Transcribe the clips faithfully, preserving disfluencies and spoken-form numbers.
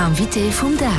Invité vum Dag.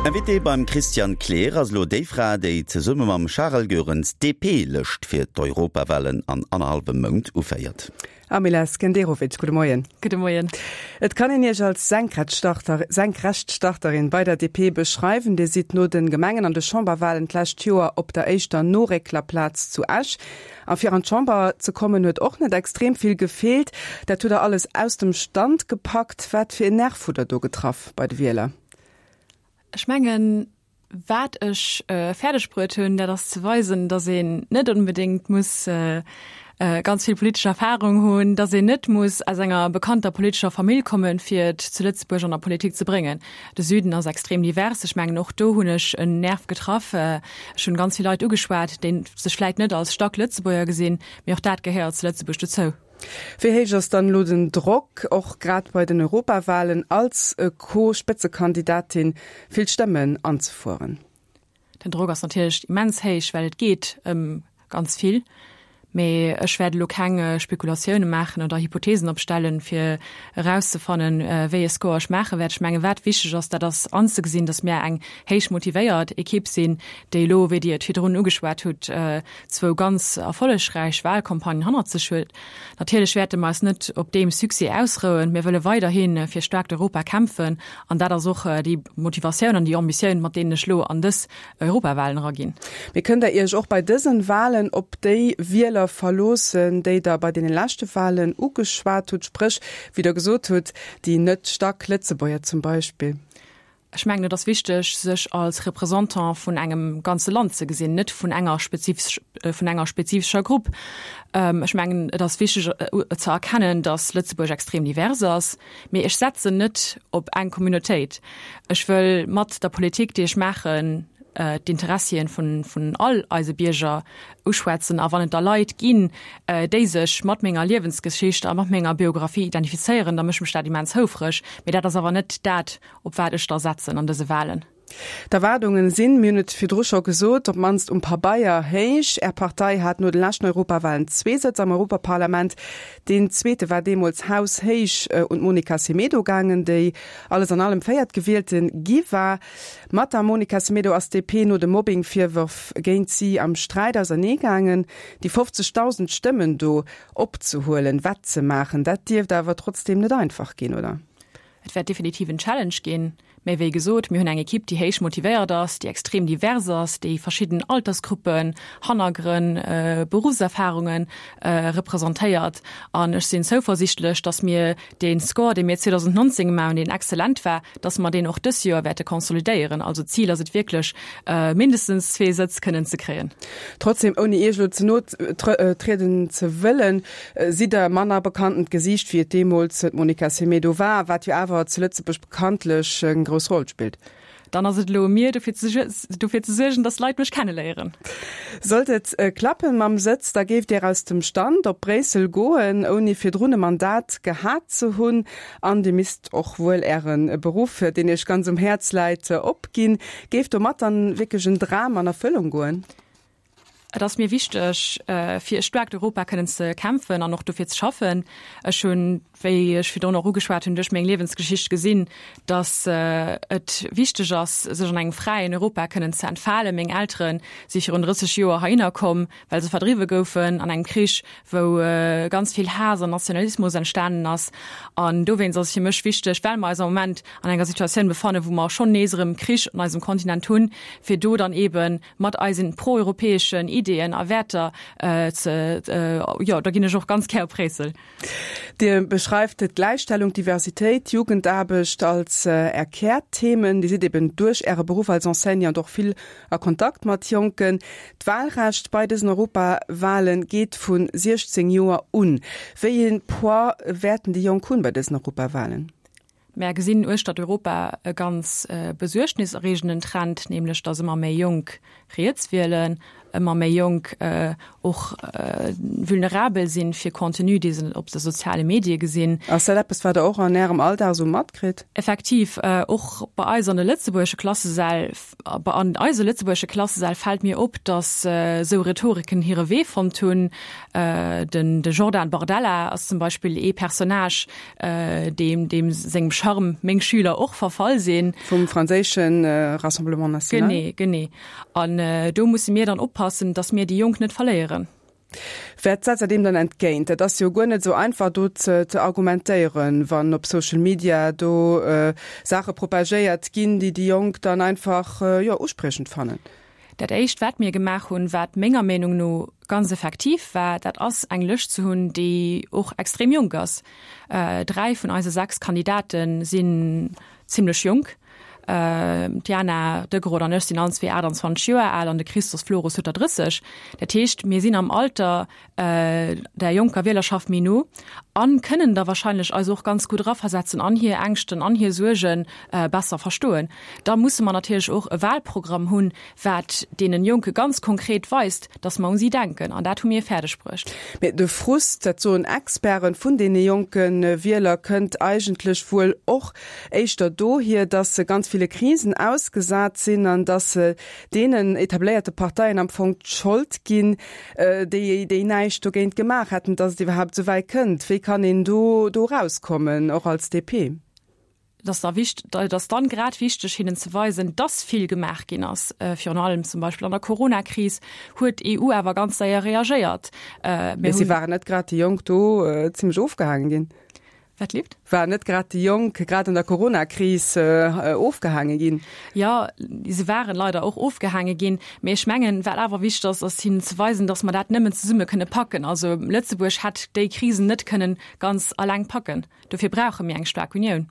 Invité beim Christian Kleer ass elo déi Fra, déi zesumme mam Charel Goerens d'DP-Lëscht fir d'Europawalen an annerhallwem Mount uféiert. Amila Skenderovic, gudde Moien. Gudde Moien. Et kann een Iech als Senkrechtstarter, Senkrechtstarterin bei der D P beschreiwen. Dir sidd no de Gemengen an de Chamberwalen d'lescht Joer op der éischter Norécklerplaz zu Esch. A fir an d'Chamber ze kommen huet och net extrem vill gefeelt. Dat hutt der alles aus dem Stand gepackt. Wat fir en Nerv hutt der do getraff bei de Wieler? Ech mengen, wat ech äh, fäerdeg bruet hunn, dat ass ze weisen, dass een net onbedéngt muss äh, äh, ganz vill politesch Erfahrung hunn, dass een net muss aus enger bekannter politescher Famill kommen, fir et zu Lëtzebuerg an der Politik ze bréngen. De Süden ass extrem divers. Ech mengen, och do hunn ech en Nerv getraff. Äh, ech hunn ganz vill Leit ugeschwat, déi sech vläicht net als staark Lëtzebuerger gesinn, mee och dat gehéiert zu Lëtzebuerg dozou. Wéi héich ass dann elo den Drock, och grad bei den Europawalen als Co-Spëtzekandidatin vill Stëmmen anzefueren? Den Drock ass natierlech immens héich, well et geet ëm ganz vill. Mee ech wäert elo keng Spekulatioune maachen oder Hypotheesen opstellen, fir erauszefannen, wéi ee Score ech maache wäert. Ech mengen, wat wichteg ass, dat ass anzegesinn, dass mir eng héich motivéiert Ekipp sinn, déi elo, wéi Dir et virdrun ugeschwat hutt, zwou ganz erfollegräich Walcampagnen hannert sech huet. Natierlech wäerte mer eis net op deem Succès ausrouen. Mir wëlle weiderhi fir staarkt Europa kämpfen an dat ass och déi Motivatioun an déi Ambitioun, mat deenen ech elo an dës Europawalen eraginn. Mee kënnt Der Iech och bei dësen Walen op déi Wieler verloossen, déi Der bei deene leschte Walen ugeschwat hutt, spréch, wéi Der gesot hutt, déi net staark Lëtzebuerger zum Beispill? Ech mengen, et ass wichteg, sech als Représentant vun engem ganze Land ze gesinn, net vun enger spezifesch, vun enger spezifescher Grupp. Ech mengen, et ass wichteg ze erkennen, dass Lëtzebuerg extrem divers ass, mee ech setzen net op eng Communautéit. Ech wëll mat der Politik, déi ech maachen, d'Interessien vun, vun all eise Bierger uschwätzen a wann et da Leit ginn, déi sech mat menger Liewensgeschicht a mat menger Biografie identifizéieren, da mécht mech dat immens houfreg. Mee dat ass awer net dat, op wat ech da setzen an dëse Walen. D'Erwaardungen sinn, mir hunn et virdru scho gesot, op d'mannst um Pabeier héich. Är Partei hat no de leschten Europawalen zwee Sëtz am Europaparlament. Deen zweete war deemools haushéich un d'Monica Semedo gaangen, déi alles an allem Véiertgewielte gi war. Mat der Monica Semedo ass d'D P no de Mobbing-Virwërf géint si am Sträit ausernee gaangen. Déi fofzegdausend Stëmmen do opzehuelen, wettzemaachen, dat dierft awer trotzdeem net einfach ginn, oder? Et wäert definitiv en Challenge ginn. Mee wéi gesot, mir hunn eng Ekipp, déi héich motivéiert ass, déi extrem divers ass, déi verschidden Altersgruppen, Hannergrënn, Beruffserfarunge representéiert. An ech sinn zouversiichtlech, datt mir dee Score, dee mir zweedausendnonzéng gemaach hunn, deen exzellent war, datt mer deen och dës Joer wäerte konsolidéieren. Also d'Zil ass et wierklech, mindestens zwee Sëtz kënnen ze kréien. Trotzdem, ouni Iech elo ze no trieden ze wëllen, sidd Der manner bekanntent Gesiicht, wéi et deemools d'Monica Semedo war, wat jo awer zu Lëtzebuerg bekanntlech eng grouss Roll spillt. Dann ass et elo u mir, dofir ze, dofir ze suergen, dass Leit mech kenneléieren. Sollt et klappen mam Sëtz, da géift Dir aus dem Stand op Bréissel goen, ouni virdrun e Mandat gehat ze hunn. An Dir misst och wuel Äre Beruff, deen Iech ganz um Häerz läit, opginn. Géif domat dann wierklech en Dram an Erfëllung goen? Et ass mir wichteg, fir e staarkt Europa kënnen ze kämpfen an och dofir ze schaffen. Ech hunn, wéi ech virdrun och ugeschwat hunn, duerch meng Liewensgeschicht gesinn, datt et wichteg ass, sech an engem fräien Europa kënnen ze entfalen. Meng Eltere si virun drësseg Joer heihinner komm, well se verdriwwe goufen an engem Krich, wou ganz vill Haass an Nationalismus entstanen ass. An dowéinst ass et fir mech wichteg, well mer eis am Moment an enger Situatioun befannen, wou mer schonn nees erëm Krich an eisem Kontinent hunn, fir do dann eeben mat eisen proeuropäeschen Ideeën a Wäerter ze, jo, da ginn ech och ganz gär op Bréissel. Dir beschreift d'Gläichstellung, d'Diversitéit, d'Jugendaarbecht als Är Kärthemen. Dir sidd eben duerch Äre Beruff als Enseignant och vill a Kontakt mat Jonken. D'Wahlrecht bei dësen Europawahlen geet vu siechzéng Joer un. Wéi ee Poids wäerten déi Jonk hunn bei dësen Europawahlen? Mär gesinn uechtert Europa e ganz besuergniserreegenden Trend, nämlech datt ëmmer méi Jonk riets wielen, ëmmer méi Jonk och vulnerabel sinn fir Contenu, dee se op de soziale Medie gesinn. Ass dat eppes, wat Der och an Ärem Alldag esou matkritt? Effektiv, och bei eis an de lëtzebuergesche Klassesäll, an eise lëtzebuergesche Klassesäll fält mir op, datt esou Rhetoriken hire Wee fonnt hunn. Den de Jordan Bardella ass zum Beispill ee Personnage, deem deem sengem Charme meng Schüler och verfall sinn. Vum franséische Rassemblement National. Genee, genee. An do musse mir dann oppassen, datt mir déi Jonk net verléieren. Wat setzt Der deem dann entgéint? Dat ass jo guer net esou einfach do ze argumentéieren, wann op Social Media do Saache propagéiert ginn, déi déi Jonk dann einfach, jo, uspriechend fannen. Dat éischt wat mir gemaach hunn, wat menger Meenung no ganz effektiv war, dat ass eng Lëscht ze hunn, déi och extrem jonk ass. Dräi vun eise sechs Kandidate sinn zimlech jonk. D'Diana Degrott an ech sinn allen zwee aachtanzwanzeg Joer al an de Christos Floros huet der drësseg. Dat heescht, mir sinn am Alter der jonker Wielerschaft méi no an kënnen da wahrscheinlech eis och ganz gutt eraversetzen an hir Ängschten an hir Suerge besser verstoen. Da musse mer natierlech och e Wahlprogramm hunn, wat deenen Jonke ganz konkret weist, dass mer un si denken. An dat hu mir fäerdeg bruecht. Mee de Frust, dat soen Experten, vun deene jonke Wieler kënnt eigentlech wuel och éischter dohier, dass se ganz ville Krisen ausgesat sinn an dass se deenen etabléierte Parteien am Fong d'Schold ginn, déi déi näischt dogéint gemaach hätten, dass et iwwerhaapt esou wäit kënnt. Wéi kann een do do erauskommen, och als D P? Et ass da wicht, et ass dann grad wichteg, hinnen ze weisen, dass vill gemaach ginn ass. Virun allem zum Beispill an der Coronakris huet d'E U awer ganz séier reagéiert. Mir Mee si waren net grad déi Jonk do zimlech ofgehaangen ginn? Wat leeft? Waren net grad déi Jonk grad an der Coronakris ofgehaange ginn? Jo, se waren leider och ofgehaange ginn. Mee ech mengen, wat awer wichteg ass, ass hinnen ze weisen, dass mer dat nëmmen zesumme kënne packen. Also Lëtzebuerg hätt déi Krisen net kënnen ganz alleng packen. Dofir brauche mir eng staark Unioun.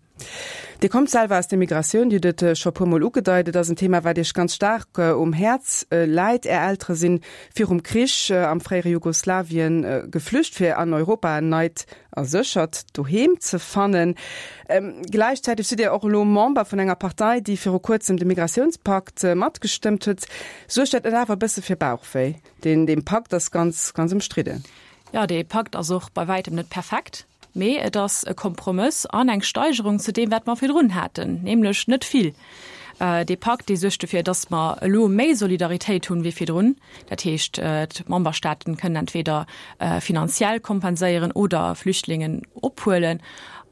Dir kommt selwer aus der Migratioun, Dir hutt et scho e puermol ugedeit, et ass en Thema, wat Iech ganz staark um Häerz läit. Är Eltere si virum Krich am fréiere Jugoslawien geflücht, fir an Europa en neit a séchert Doheem ze fannen. Gläichzäiteg sidd Dir och elo Member vun enger Partei, déi viru kuerzem de Migratiounspakt matgestëmmt huet. Suergt dat net awer e bësse fir Bauchwéi? Deen dee Pakt ass ganz, ganz ëmstridden. Jo, dee Pakt ass och bei wäitem net perfekt, mee et ass e Kompromëss an eng Steigerung zu deem, wat mer virdrun haten, nämlech net vill. Dee Pakt, dee suergt dofir, dass mer elo méi Solidaritéit hunn wéi virdrun. Dat heescht, d'Memberstaaten kënnen entweder finanziell kompenséieren oder Flüchtlingen ophuelen.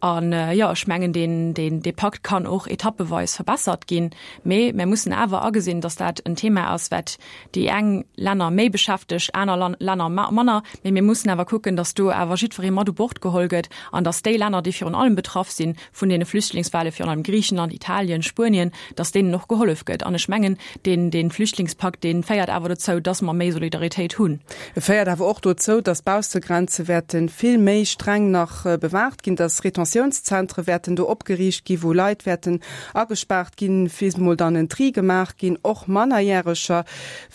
An, jo, ech mengen, deen, deen, dee Pakt kann och etappeweis verbessert ginn. Mee mir mussen awer agesinn, dass dat en Thema ass, wat déi eng Länner méi beschäftegt, aner Länner manner. Mee mir mussen awer kucken, dass do awer jiddweree mat u Bord geholl gëtt an dass déi Länner, déi virun allem betraff si vun deene Flüchtlingswelle, virun allem Griichenland, Italien, Spuenien, dass deenen och gehollef gëtt. An ech mengen, deen, dee Flüchtlingspakt, dee féiert awer dozou, dass mer méi Solidaritéit hunn. E féiert awer och dozou, dass d'Baussegrenze wäerte vill méi streng nach bewaacht ginn, dass Retentiounszentre wäerten do opgeriicht ginn, wou Leit wäerten agespaart ginn, bis mol dann en Tri gemaach ginn, och Mannerjäreger.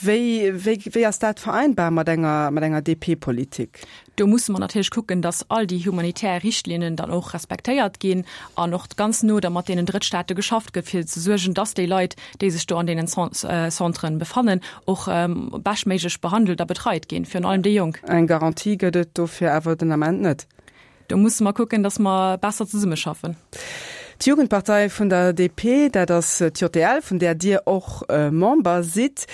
Wéi, wéi, wéi ass dat vereinbar mat enger, mat enger D P-Politik? Do musse mer natierlech kucken, dass all déi humanitär Richtlinnen dann och respektéiert ginn an och ganz no da mat deenen Drëttstaate geschafft gëtt, fir ze suergen, dass déi Leit, déi sech do an deenen Centren befannen, och beschtméiglech behandelt a betreit ginn, virun allem déi Jonk. Eng Garantie gëtt et dofir awer den Ament net. Do musse mer kucken, dass mer besser zesummeschaffen. D'Jugendpartei vun der D P, dat ass d'J D L, vun där Dir och Member sidd,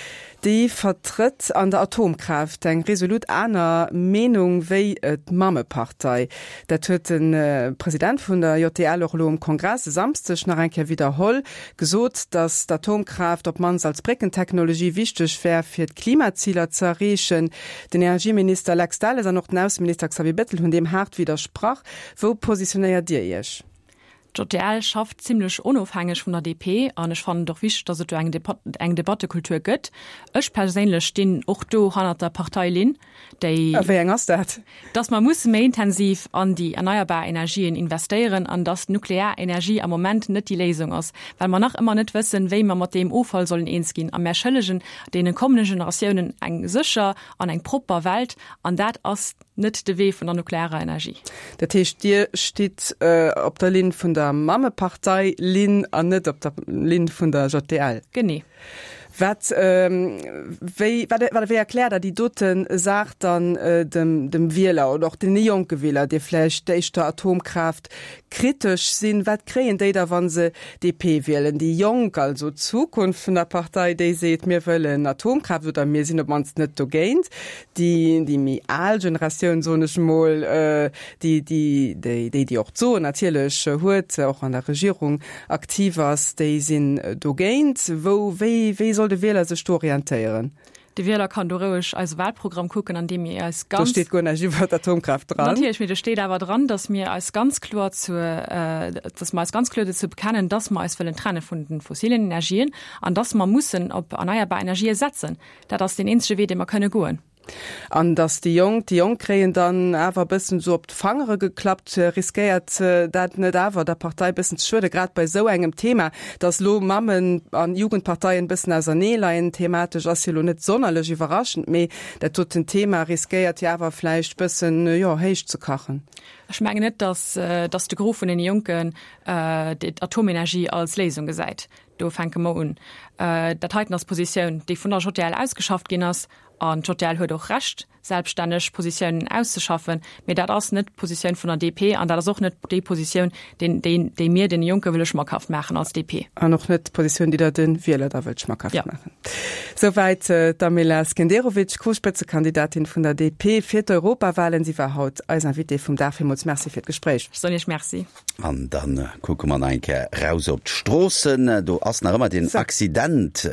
déi vertrëtt an der Atomkraaft eng resolut aner Meenung wéi d'Mammepartei. Dat huet de President vun der J D L och elo um Kongress e Samsdeg nach eng Kéier widderholl, gesot, datt d'Atomkraaft op d'mannst als Bréckentechnologie wichteg wär, fir d'Klimaziler ze erreechen. Den Energieminister Lex Delles an och den Ausseminister Xavier Bettel hunn deem haart widdersprach. Wou positionéiert Dir Iech? D'J D L schafft zimlech onofhängeg vun der D P an ech fannen et och wichteg, datt et do eng eng Debattekultur gëtt. Ech perséinlech stinn och do hannert der Parteilinn, déi A wéi eng ass dat? Datt mer musse méi intensiv an déi erneierbar Energien investéieren an datt nuklear Energie am Moment net déi Léisung ass, well mer nach ëmmer net wëssen, wéi mer mat deem Offall sollen eens ginn. A mer schëllegen deene kommende Generatiounen eng sécher an eng propper Welt an dat ass net de Wee vun der nuklearer Energie. Dat heescht, Dir stitt op der Linn vun der Mammepartei-Linn an net op der Linn vun der J D L? Genee. Wat, wéi, wat, wat, wéi erkläert Der déi dote Saach dann dem, dem Wieler oder och deene jonke Wieler, déi vläicht éischter Atomkraaft kritesch sinn? Wat kréien déi da, wa se D P wielen? Déi Jonk, also d'Zukunft vun der Partei, déi seet, mir wëllen Atomkraaft oder mir sinn op d'mannst net dogéint. Déi, déi méi al Generatioun, soen ech emol, déi, déi, déi, déi, déi och d'Soen natierlech huet, och an der Regierung aktiv ass, déi sinn dogéint. Wou, wéi, wéi soll de Wieler sech do orientéieren? De Wieler kann do roueg eise Wahlprogramm kucken, an deem mir eis ganz. Do steet guer näischt iwwer d'Atomkraaft dran. Natierlech, mee do steet awer dran, dass mir eis ganz kloer zu, dass mer eis ganz kloer dozou bekennen, dass mer eis wëllen trenne vun de fossilen Energien an dass mer mussen op erneierbar Energië setzen. Dat ass deen eenzege Wee, dee mer kënne goen. An datt déi Jonk, déi Jonk kréien dann awer e bëssen esou op d'Fangere geklappt. Riskéiert dat net awer der Partei e bëssen ze schueden, grad bei esou engem Thema? Datt elo Mammen an Jugendparteien e bëssen ausernee leien thematesch, ass jo elo net sonnerlech iwwerraschend, mee dat doten Thema riskéiert jo awer vläicht bëssen, jo, héich ze kachen. Ech mengen net, datt, datt de Gros vun den Jonken d'Atomenergie als Léisung gesäit. Do fänke mer un. Dat heiten ass d'Positioun, déi vun der J D L ausgeschafft ginn ass. An d'J D L huet och Recht, selbststänneg Positiounen auszeschaffen. Mee dat ass net d'Positioun vun der D P an dat ass och net déi Positioun, déi mir deene Jonke wëlle schmackhaft maachen als D P. An och net d'Positioun, déi Der de Wieler da wëllt schmackhaft maachen. Souwäit d'Amela Skenderovic, Co-Spëtzekandidatin vun der D P fir d'Europawahlen. Si war haut eis Invitée vum Dag. Villmools Merci fir d'Gespréich. Ech soen Iech Merci. An da kucke mer nach eng Kéier raus op d'Stroossen. Do ass nach ëmmer deen Accident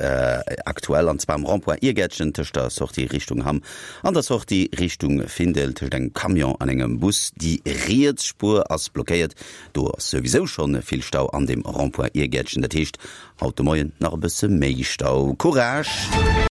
aktuell, an zwar am Rond-point Iergäertchen tëscht der Sortie Richtung Hamm an der Sortie Richtung Findel, tëscht engem Camion an engem Bus. Déi riets Spuer ass blockéiert. Do ass souwisou schonn vill Stau an deem Rond-point Iergäertchen. Dat heescht haut de Moien nach e bësse méi Stau. Courage!